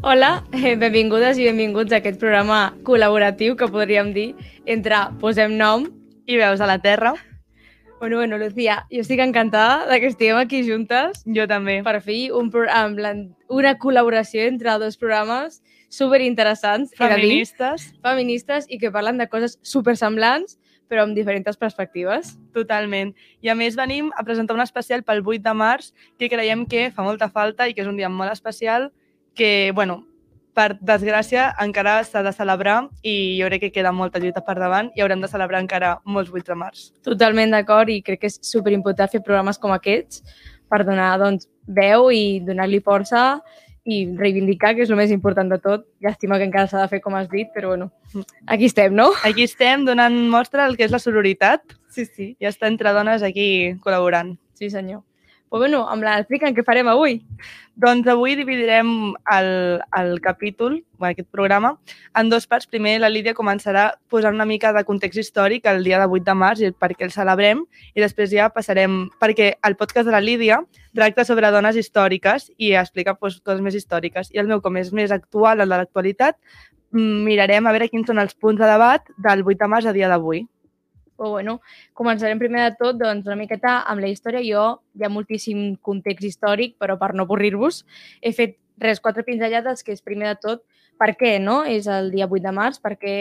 Hola, benvingudes i benvinguts a aquest programa col·laboratiu que podríem dir entre Posem Nom i Veus a la Terra. Bueno, Lucía, jo estic encantada que estiguem aquí juntes. Jo també. Per fi, una col·laboració entre dos programes superinteressants. Feministes i que parlen de coses supersemblants, però amb diferents perspectives. Totalment. I a més venim a presentar un especial pel 8 de març que creiem que fa molta falta i que és un dia molt especial que, per desgràcia, encara s'ha de celebrar i jo crec que queda molta lluita per davant i haurem de celebrar encara molts 8 de març. Totalment d'acord i crec que és superimportant fer programes com aquests per donar veu i donar-li força i reivindicar, que és el més important de tot. Llàstima que encara s'ha de fer, com has dit, però aquí estem, no? Aquí estem donant mostra del que és la sororitat. Sí. I està entre dones aquí col·laborant. Sí, senyor. Però explica'm què farem avui. Doncs avui dividirem el capítol, aquest programa, en dues parts. Primer, la Lídia començarà posant una mica de context històric el dia de 8 de març i per què el celebrem, i després ja passarem, perquè el podcast de la Lídia tracta sobre dones històriques i explica coses més històriques. I el meu, com és més actual, el de l'actualitat, mirarem a veure quins són els punts de debat del 8 de març a dia d'avui. Començarem primer de tot una miqueta amb la història. Hi ha moltíssim context històric, però per no avorrir-vos he fet 4 pinzellades, que és primer de tot per què és el dia 8 de març, per què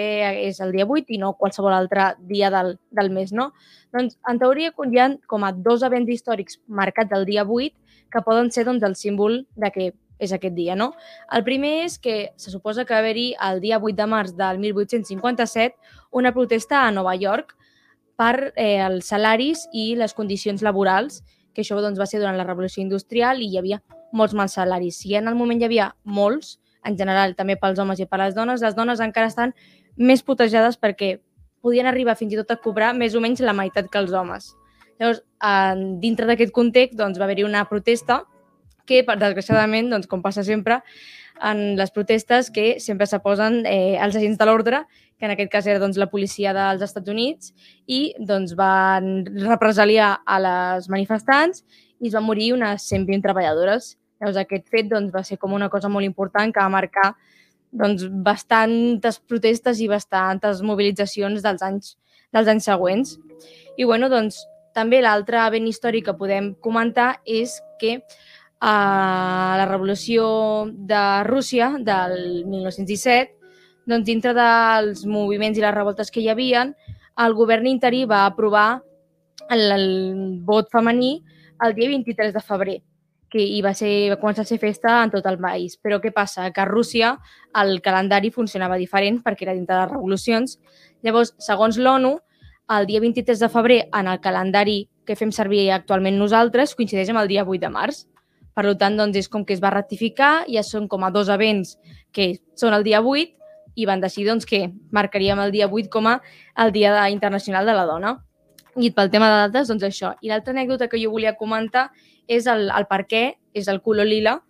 és el dia 8 i no qualsevol altre dia del mes, no? Doncs en teoria hi ha com a 2 events històrics marcats el dia 8 que poden ser el símbol de què és aquest dia, no? El primer és que se suposa que va haver-hi el dia 8 de març del 1857 una protesta a Nova York per els salaris i les condicions laborals, que això va ser durant la Revolució Industrial i hi havia molts mals salaris. Si en el moment hi havia molts, en general també pels homes i per les dones encara estan més putejades perquè podien arribar fins i tot a cobrar més o menys la meitat que els homes. Llavors, dintre d'aquest context va haver-hi una protesta que, desgraciadament, com passa sempre, en les protestes que sempre s'aposen els agents de l'ordre, que en aquest cas era la policia dels Estats Units, i van represaliar a les manifestants i es van morir unes 120 treballadores. Llavors, aquest fet va ser com una cosa molt important que va marcar bastantes protestes i bastantes mobilitzacions dels anys següents. I també l'altre event històric que podem comentar és que a la Revolució de Rússia del 1917, dintre dels moviments i les revoltes que hi havia, el govern interí va aprovar el vot femení el dia 23 de febrer, que va començar a ser festa en tot el país. Però què passa? Que a Rússia el calendari funcionava diferent perquè era dintre de les revolucions. Llavors, segons l'ONU, el dia 23 de febrer en el calendari que fem servir actualment nosaltres coincideix amb el dia 8 de març. Per tant, és com que es va ratificar, ja són com a 2 events que són el dia 8 i van decidir que marcaríem el dia 8 com a el Dia Internacional de la Dona. I pel tema de dates, això. I l'altra anècdota que jo volia comentar és el per què és el color lila,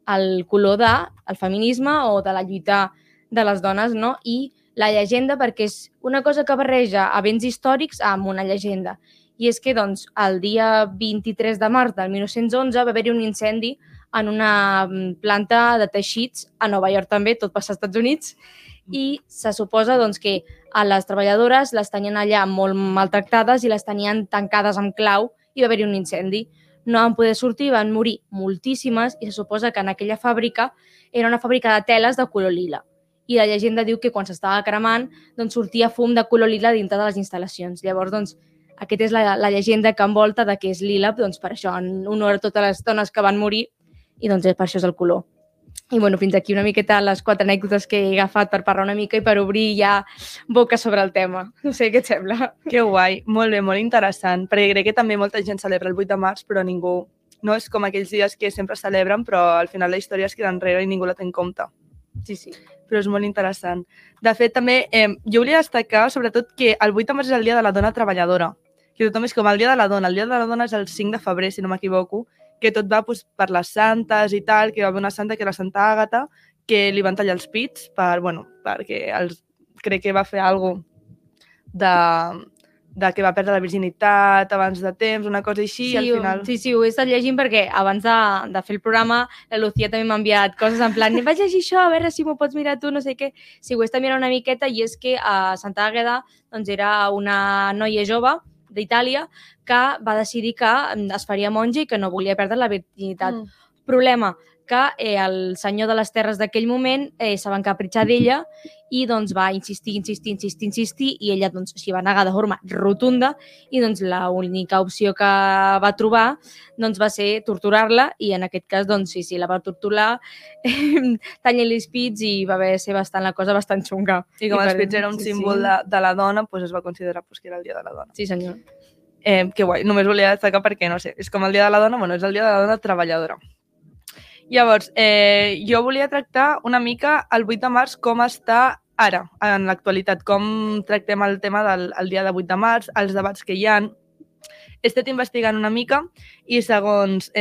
el color del feminisme o de la lluita de les dones, no? I la llegenda, perquè és una cosa que barreja events històrics amb una llegenda. I és que el dia 23 de març del 1911 va haver-hi un incendi en una planta de teixits a Nova York també, tot passa als Estats Units, i se suposa que a les treballadores les tenien allà molt maltractades i les tenien tancades amb clau i va haver-hi un incendi. No van poder sortir, van morir moltíssimes i se suposa que en aquella fàbrica era una fàbrica de teles de color lila. I la llegenda diu que quan s'estava cremant sortia fum de color lila dintre de les instal·lacions. Llavors, aquesta és la llegenda que envolta de que és lila, per això, en honor a totes les dones que van morir, i per això és el color. I fins aquí una miqueta les 4 anècdotes que he agafat per parlar una mica i per obrir ja boca sobre el tema. No sé què et sembla. Que guai, molt bé, molt interessant, perquè crec que també molta gent celebra el 8 de març, però ningú, no és com aquells dies que sempre celebren, però al final la història es queda enrere i ningú la té en compte. Sí. Però és molt interessant. De fet, també, jo volia destacar, sobretot, que el 8 de març és el dia de la dona treballadora, que tothom és com el dia de la dona. El dia de la dona és el 5 de febrer, si no m'equivoco, que tot va per les santes i tal, que va haver una santa, que era la Santa Àgata, que li van tallar els pits perquè crec que va fer alguna cosa que va perdre la virginitat abans de temps, una cosa així, Sí, i al final... sí, ho he estat llegint perquè abans de fer el programa la Lucía també m'ha enviat coses en plan vaig llegir això, a veure si m'ho pots mirar tu, no sé què. Sí, ho he estat mirant una miqueta i és que a Santa Àgueda doncs, era una noia jove d'Itàlia que va decidir que es faria monja i que no volia perdre la virginitat. Problema, que el senyor de les terres d'aquell moment se va encapritxar d'ella i doncs va insistir i ella doncs s'hi va negar de forma rotunda i doncs l'única opció que va trobar doncs va ser torturar-la i en aquest cas doncs sí, la va torturar tallant-li els pits i va haver ser la cosa bastant xunga. I com els pits era un símbol de la dona, doncs es va considerar que era el dia de la dona. Sí, senyor. Que guai, només volia destacar perquè, no sé, és com el dia de la dona, bueno, és el dia de la dona treballadora. Llavors, jo volia tractar una mica el 8 de març com està ara, en l'actualitat, com tractem el tema del dia de 8 de març, els debats que hi ha. He estat investigant una mica i segons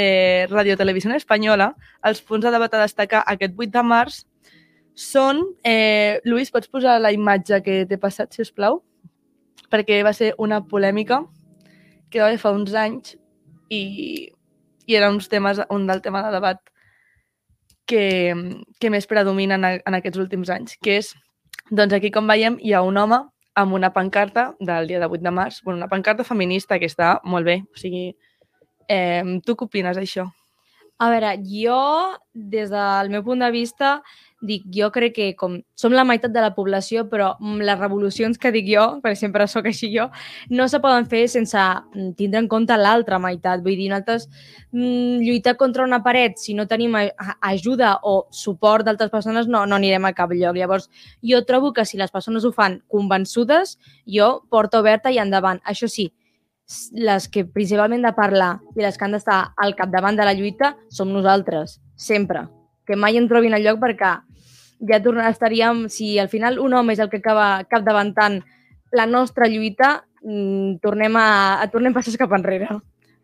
Radio Televisió Espanyola, els punts de debat a destacar aquest 8 de març són... Lluís, pots posar la imatge que t'he passat, si us plau? Perquè va ser una polèmica que va haver fa uns anys i era un del tema de debat que més predominen en aquests últims anys, que és, doncs aquí com veiem hi ha un home amb una pancarta del dia de 8 de març, una pancarta feminista que està molt bé, o sigui, tu què opines d'això? A veure, jo, des del meu punt de vista, jo crec que com som la meitat de la població, però les revolucions que dic jo, perquè sempre sóc així jo, no se poden fer sense tindre en compte l'altra meitat. Vull dir, nosaltres lluitar contra una paret, si no tenim ajuda o suport d'altres persones, no anirem a cap lloc. Llavors, jo trobo que si les persones ho fan convençudes, jo porta oberta i endavant. Això sí, les que principalment de parlar i les que han d'estar al capdavant de la lluita som nosaltres, sempre. Que mai en trobin el lloc perquè ja estaríem, si al final un home és el que acaba capdavantant la nostra lluita, tornem passes cap enrere.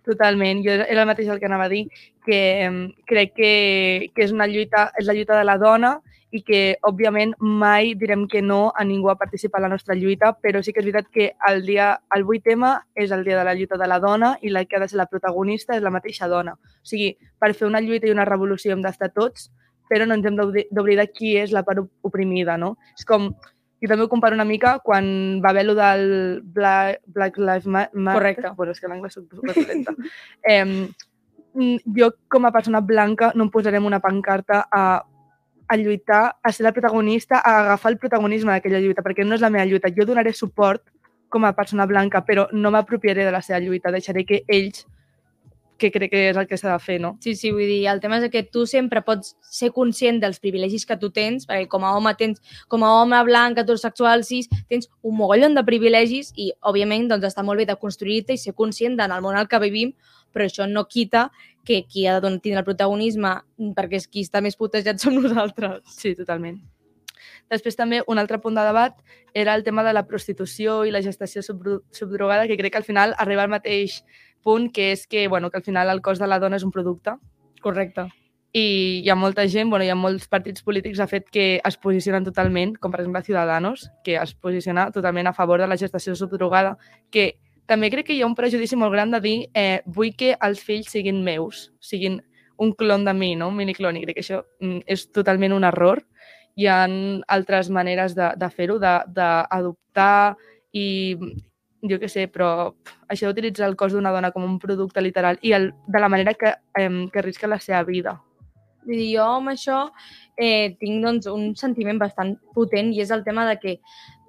Totalment, jo era el mateix el que anava a dir, que crec que és la lluita de la dona i que, òbviament, mai direm que no a ningú a participar en la nostra lluita, però sí que és veritat que el 8M és el dia de la lluita de la dona i la que ha de ser la protagonista és la mateixa dona. O sigui, per fer una lluita i una revolució hem d'estar tots, però no ens hem d'oblidar qui és la part oprimida, no? És com, jo també ho comparo una mica quan va haver allò del Black Lives Matter. Correcte. Bueno, és que l'anglès soc superlenta. Jo, com a persona blanca, no em posarem una pancarta a lluitar, a ser la protagonista, a agafar el protagonisme d'aquella lluita, perquè no és la meva lluita. Jo donaré suport com a persona blanca, però no m'apropiaré de la seva lluita. Deixaré que ells, que crec que és el que s'ha de fer, no? Sí, vull dir, el tema és que tu sempre pots ser conscient dels privilegis que tu tens, perquè com a home blanc, heterosexual, cis, tens un mogollon de privilegis i, òbviament, doncs està molt bé de construir-te i ser conscient del món al que vivim, però això no quita que qui ha de tindre el protagonisme, perquè qui està més putejat som nosaltres. Sí, totalment. Després també un altre punt de debat era el tema de la prostitució i la gestació subdrogada, que crec que al final arriba al mateix punt, que és que al final el cos de la dona és un producte. Correcte. I hi ha molta gent, hi ha molts partits polítics de fet que es posicionen totalment, com per exemple Ciudadanos, que es posiciona totalment a favor de la gestació subdrogada, que també crec que hi ha un prejudici molt gran de dir vull que els fills siguin meus, siguin un clon de mi, no? Un miniclon, i crec que això és totalment un error. Hi ha altres maneres de fer-ho, d'adoptar i jo què sé, però això d'utilitzar el cos d'una dona com un producte literal i de la manera que arrisca la seva vida. Jo amb això tinc doncs, un sentiment bastant potent i és el tema de que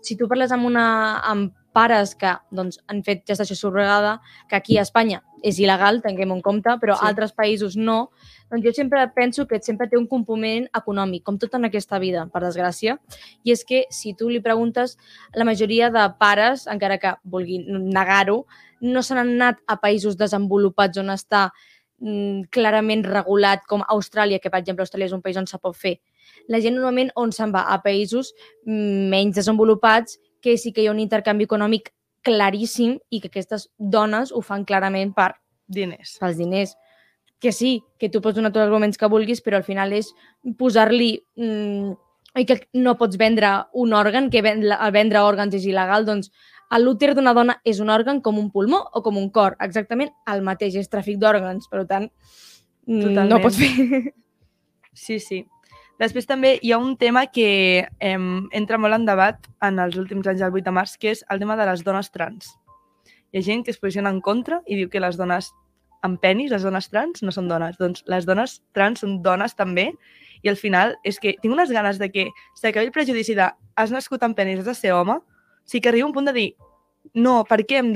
si tu parles amb pares que doncs, han fet gestació subrogada, que aquí a Espanya és il·legal, tinguem en compte, però a altres països no, doncs jo sempre penso que sempre té un component econòmic, com tot en aquesta vida, per desgràcia. I és que si tu li preguntes, la majoria de pares, encara que vulguin negar-ho, no se n'han anat a països desenvolupats on està clarament regulat, com Austràlia, que per exemple Austràlia és un país on se pot fer. La gent normalment on se'n va? A països menys desenvolupats, que sí que hi ha un intercanvi econòmic claríssim i que aquestes dones ho fan clarament per diners. Pels diners. Que sí, que tu pots donar tots els arguments que vulguis, però al final és posar-li que no pots vendre un òrgan, que vendre òrgans és il·legal, doncs l'úter d'una dona és un òrgan com un pulmó o com un cor, exactament el mateix, és tràfic d'òrgans, per tant, no pots fer. Sí, sí. Després també hi ha un tema que entra molt en debat en els últims anys del 8 de març, que és el tema de les dones trans. Hi ha gent que es posiciona en contra i diu que les dones amb penis, les dones trans, no són dones. Doncs les dones trans són dones també, i al final és que tinc unes ganes de que s'acabi el prejudici de has nascut amb penis, has de ser home, sí que arriba un punt de dir no, per què hem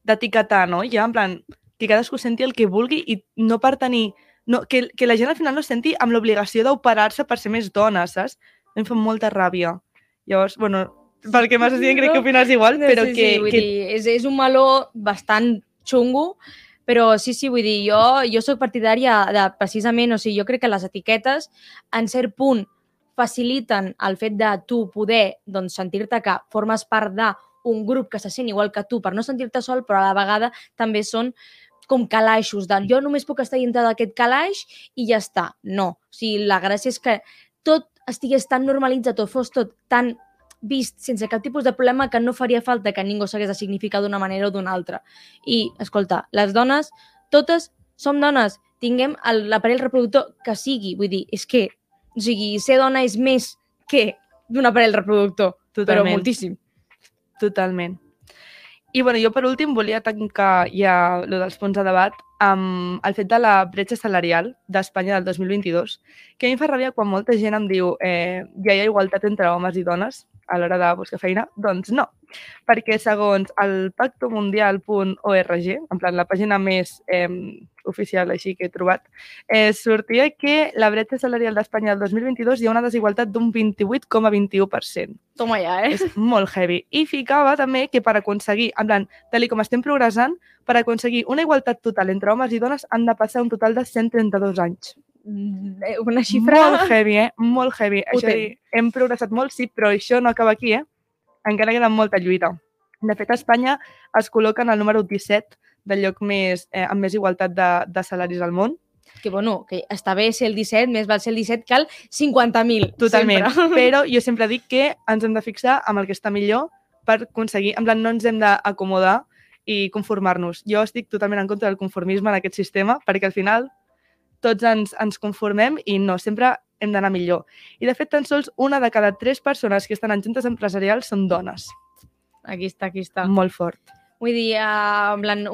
d'etiquetar, no? Ja, en plan, que cadascú senti el que vulgui i no per tenir... No, que la gent al final no es senti amb l'obligació d'operar-se per ser més dona, saps? Em fa molta ràbia. Llavors, bueno, pel que m'has dit crec que opines igual, però sí, vull dir, és un meló bastant xungo, però sí, vull dir, jo soc partidària de precisament, o sigui, jo crec que les etiquetes, en cert punt, faciliten el fet de tu poder doncs, sentir-te que formes part d'un grup que se sent igual que tu per no sentir-te sol, però a la vegada també són com calaixos, de jo només puc estar dintre d'aquest calaix i ja està. No, o sigui, la gràcia és que tot estigués tan normalitzat o fos tot tan vist sense cap tipus de problema que no faria falta que ningú s'hagués de significar d'una manera o d'una altra. I, escolta, les dones, totes som dones, tinguem l'aparell reproductor que sigui, vull dir, és que, o sigui, ser dona és més que d'un aparell reproductor, totalment. Però moltíssim. Totalment. I bueno, jo per últim volia tancar ja el dels punts de debat amb el fet de la bretxa salarial d'Espanya del 2022, que a mi em fa ràbia quan molta gent em diu ja hi ha igualtat entre homes i dones a l'hora de buscar feina. Doncs no, perquè segons el pactomundial.org, en plan la pàgina més oficial així que he trobat, sortia que la bretxa salarial d'Espanya del 2022 hi ha una desigualtat d'un 28,21%. Toma ja, És molt heavy. I ficava també que per aconseguir, en plan, tal com estem progressant, per aconseguir una igualtat total entre homes i dones han de passar un total de 132 anys. Una xifra... Molt heavy, Molt heavy. Això dir, hem progressat molt, sí, però això no acaba aquí, Encara queda molta lluita. De fet, a Espanya es col·loca en el número 17 del lloc amb més igualtat de salaris al món. Que, bueno, que està bé ser el 17, més val ser el 17 que el 50.000. Totalment. Sempre. Però jo sempre dic que ens hem de fixar amb el que està millor per aconseguir... En plan, no ens hem d'acomodar i conformar-nos. Jo estic totalment en contra del conformisme en aquest sistema, perquè al final tots ens conformem i no, sempre hem d'anar millor. I de fet, tan sols una de cada 3 persones que estan en juntes empresarials són dones. Aquí està. Molt fort. Vull dir, en plan,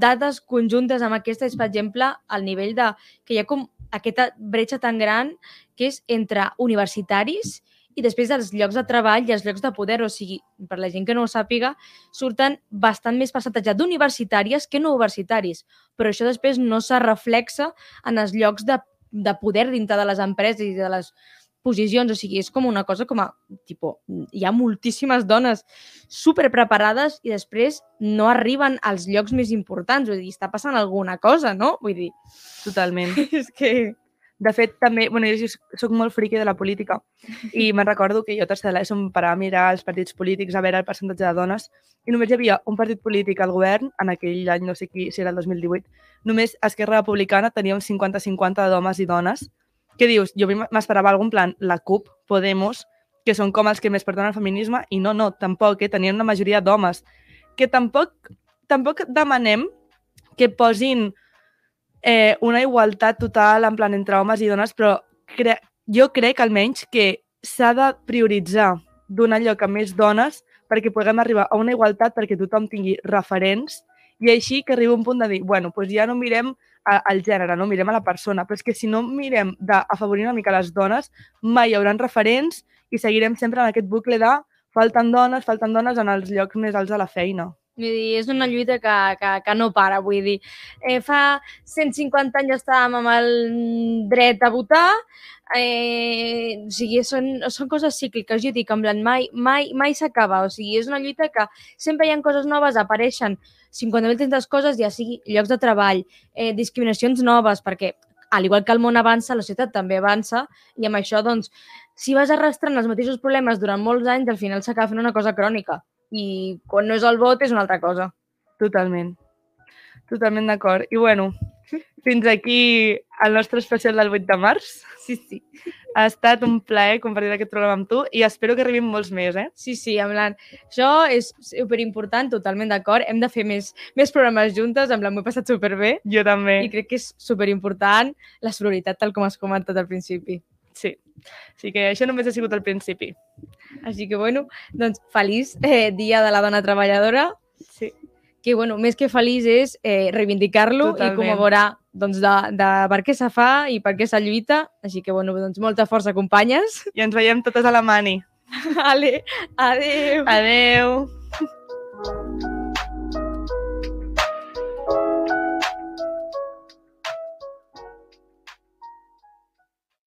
dades conjuntes amb aquesta és, per exemple, el nivell de... que hi ha com aquesta bretxa tan gran que és entre universitaris i després dels llocs de treball i els llocs de poder. O sigui, per la gent que no ho sàpiga, surten bastant més percentatge d'universitàries que no universitaris. Però això després no se reflexa en els llocs de poder dintre de les empreses i de les posicions. O sigui, és com una cosa com a... hi ha moltíssimes dones superpreparades i després no arriben als llocs més importants. Vull dir, està passant alguna cosa, no? Vull dir... Totalment. És que... De fet, també, bueno, jo soc molt friqui de la política i me'n recordo que jo a tercera de l'ESO em parava a mirar els partits polítics, a veure el percentatge de dones, i només hi havia un partit polític al govern, en aquell any, no sé si era el 2018, només Esquerra Republicana tenia un 50-50 d'homes i dones. Què dius? Jo m'esperava algun plan, la CUP, Podemos, que són com els que més porten el feminisme, i no, tampoc, tenien una majoria d'homes. Que tampoc demanem que posin una igualtat total en plan entre homes i dones, però jo crec almenys que s'ha de prioritzar donar lloc a més dones perquè puguem arribar a una igualtat perquè tothom tingui referents i així que arriba un punt de dir, bueno, doncs ja no mirem el gènere, no mirem a la persona, però és que si no mirem d'afavorir una mica les dones, mai hi haurà referents i seguirem sempre en aquest bucle de falten dones en els llocs més alts de la feina. Vull dir, és una lluita que no para, vull dir. Fa 150 anys estàvem amb el dret a votar, o sigui, són coses cícliques, jo dic, en plan, mai s'acaba, o sigui, és una lluita que sempre hi ha coses noves, apareixen 50.000 coses, ja sigui llocs de treball, discriminacions noves, perquè al igual que el món avança, la societat també avança, i amb això, doncs, si vas arrastrant els mateixos problemes durant molts anys, al final s'acaba fent una cosa crònica. I quan no és el vot és una altra cosa. Totalment d'acord. I bueno, Fins aquí el nostre especial del 8 de març. Sí. Ha estat un plaer compartir aquest programa amb tu i espero que arribin molts més, Sí, en plan, això és superimportant, totalment d'acord. Hem de fer més programes juntes, en plan, m'ho he passat superbé. Jo també. I crec que és superimportant la sororitat, tal com has comentat al principi. Sí. Així que això només ha sigut al principi. Així que, bueno, doncs feliç Dia de la Dona Treballadora. Sí. Que, bueno, més que feliç és reivindicar-lo i commemorar doncs, de per què se fa i per què se lluita. Així que, bueno, doncs molta força, companyes. I ens veiem totes a la mani. Vale, adeu. Adeu.